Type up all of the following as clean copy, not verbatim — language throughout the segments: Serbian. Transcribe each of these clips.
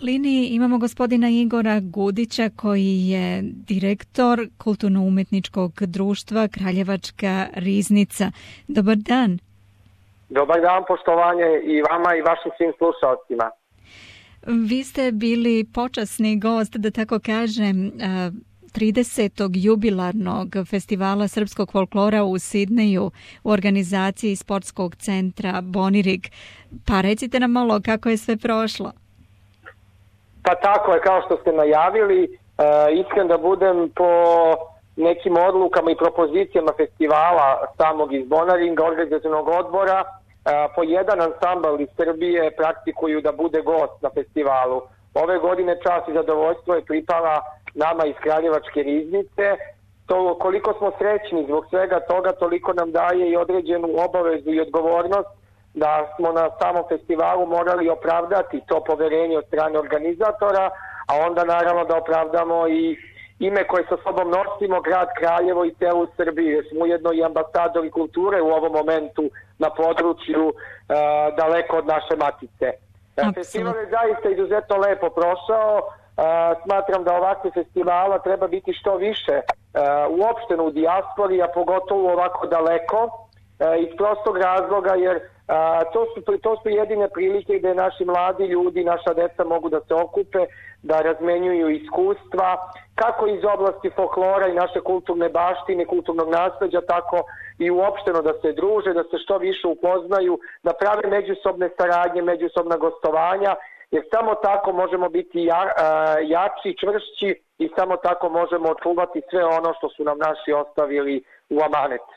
liniji imamo gospodina Igora Gudića koji je direktor kulturno-umetničkog društva Kraljevačka riznica. Dobar dan. Dobar dan, poštovanje i vama i vašim svim slušalcima. Vi ste bili počasni gost, da tako kažem, 30. jubilarnog festivala srpskog folklora u Sidneju u organizaciji sportskog centra Bonirig. Pa recite nam malo kako je sve prošlo. Pa tako je, kao što ste najavili, iskren da budem po nekim odlukama i propozicijama festivala samog iz Bonaringa, organizacionog odbora, po jedan ansambl iz Srbije praktikuju da bude gost na festivalu. Ove godine čast i zadovoljstvo je pripala nama iz Kraljevačke riznice. To koliko smo srećni zbog svega toga, toliko nam daje i određenu obavezu i odgovornost da smo na samom festivalu morali opravdati to poverenje od strane organizatora, a onda naravno da opravdamo i ime koje sa sobom nosimo, grad Kraljevo i celu Srbiju, jer smo ujedno i ambasadori kulture u ovom momentu na području daleko od naše matice. Festival je zaista izuzetno lepo prošao. Smatram da ovakve festivala treba biti što više uopšteno u dijaspori, a pogotovo ovako daleko, iz prostog razloga jer to su jedine prilike gde naši mladi ljudi, naša deca mogu da se okupe, da razmenjuju iskustva, kako iz oblasti folklora i naše kulturne baštine, kulturnog nasleđa, tako i uopšteno da se druže, da se što više upoznaju, da prave međusobne saradnje, međusobna gostovanja, jer samo tako možemo biti jači, čvršći i samo tako možemo očuvati sve ono što su nam naši ostavili u amanet.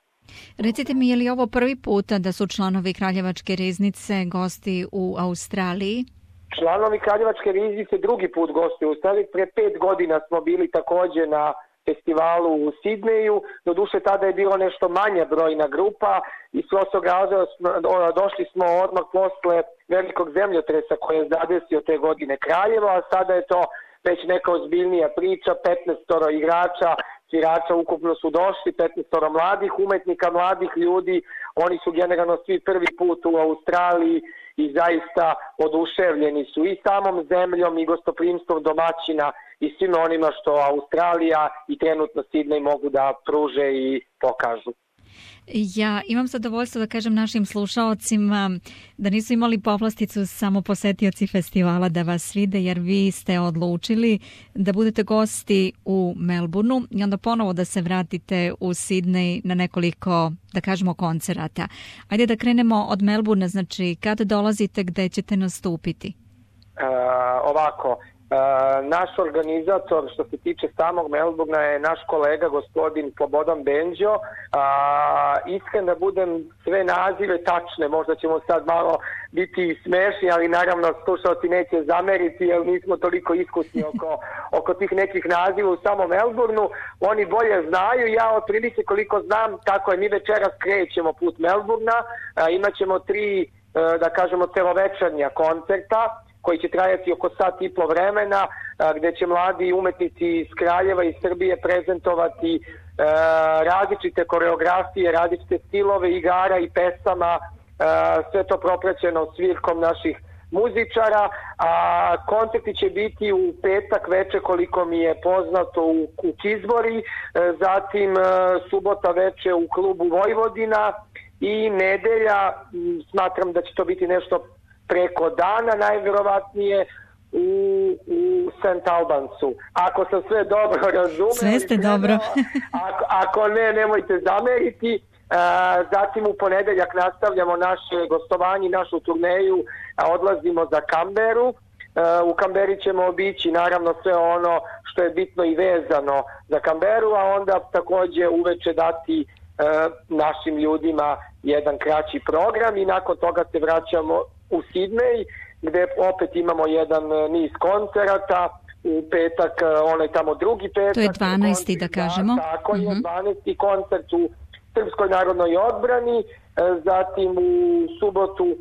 Recite mi, je li ovo prvi puta da su članovi Kraljevačke riznice gosti u Australiji? Članovi Kraljevačke riznice drugi put gosti u Australiji. Pre 5 godina smo bili takođe na festivalu u Sidneju. Doduše tada je bilo nešto manja brojna grupa i s prostog razloga došli smo odmah posle velikog zemljotresa koji je zadesio te godine Kraljevo, a sada je to već neka ozbiljnija priča, 15 igrača, svirača ukupno su došli, 15 mladih umetnika, mladih ljudi, oni su generalno svi prvi put u Australiji i zaista oduševljeni su i samom zemljom i gostoprimstvom domaćina i svima onima što Australija i trenutno Sidnej mogu da pruže i pokažu. Ja imam zadovoljstvo da kažem našim slušaocima da nisu imali povlasticu samo posetioci festivala da vas vide, jer vi ste odlučili da budete gosti u Melbourneu i onda ponovo da se vratite u Sidnej na nekoliko, da kažemo, koncerata. Ajde da krenemo od Melbournea, znači kada dolazite, gde ćete nastupiti? Ovako, naš organizator što se tiče samog Melbournea je naš kolega gospodin Slobodan Benđo. Iskren da budem sve nazive tačne, možda ćemo sad malo biti smešni, ali naravno slušalci neće zameriti jer nismo toliko iskusni oko tih nekih naziva u samom Melbourneu. Oni bolje znaju, ja otprilike koliko znam, tako je, mi večeras krećemo put Melbournea, imaćemo 3, da kažemo, celovečernja koncerta koji će trajati oko sat i po vremena, gde će mladi umetnici iz Kraljeva i Srbije prezentovati različite koreografije, različite stilove igara i pesama, sve to propraćeno svirkom naših muzičara, a koncerti će biti u petak veče koliko mi je poznato u Kizbori, zatim subota veče u klubu Vojvodina i nedelja, smatram da će to biti nešto preko dana, najverovatnije u St. Albansu. Ako sam sve dobro razumeli... Sve ste dobro. Ako ne, nemojte zameriti. Zatim u ponedeljak nastavljamo naše gostovanje, našu turneju, odlazimo za Kamberu. U Kamberi ćemo obići naravno sve ono što je bitno i vezano za Kamberu, a onda takođe uveče dati našim ljudima jedan kraći program i nakon toga se vraćamo u Sidnej, gde opet imamo jedan niz koncerata. U petak, onaj tamo drugi petak. To je 12. da kažemo. Tako je, 12. koncert u Srpskoj narodnoj odbrani, zatim u subotu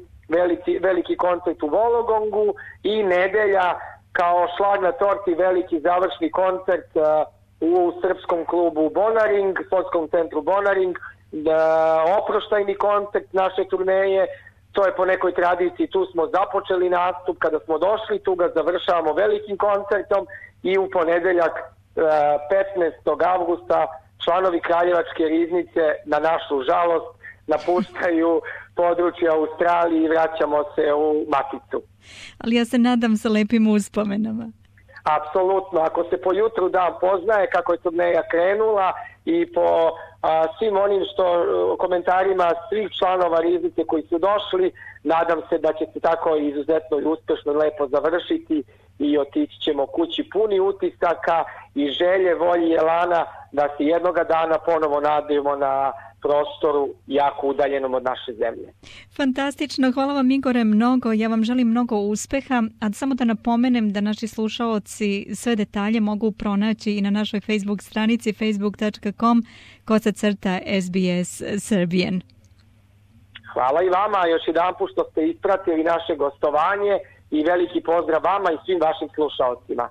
veliki koncert u Vologongu i nedelja kao šlag na torti veliki završni koncert u srpskom klubu Bonaring, sportskom centru Bonaring, oproštajni koncert naše turneje, to je po nekoj tradiciji, tu smo započeli nastup, kada smo došli tu ga završavamo velikim koncertom i u ponedeljak 15. avgusta članovi Kraljevačke riznice na našu žalost napuštaju područje Australije i vraćamo se u Maticu. Ali ja se nadam sa lepim uspomenama. Apsolutno, ako se po jutru dan poznaje kako je turneja krenula i po svim onim komentarima svih članova riznice koji su došli, nadam se da će se tako izuzetno i uspešno lepo završiti i otići ćemo kući puni utisaka i želje, volje i elana da se jednoga dana ponovo nadajemo na prostoru jako udaljenom od naše zemlje. Fantastično, hvala vam Igore mnogo, ja vam želim mnogo uspeha, a samo da napomenem da naši slušaoci sve detalje mogu pronaći i na našoj Facebook stranici facebook.com/SBS Serbian. Hvala i vama još jedanput što ste ispratili naše gostovanje i veliki pozdrav vama i svim vašim slušaocima.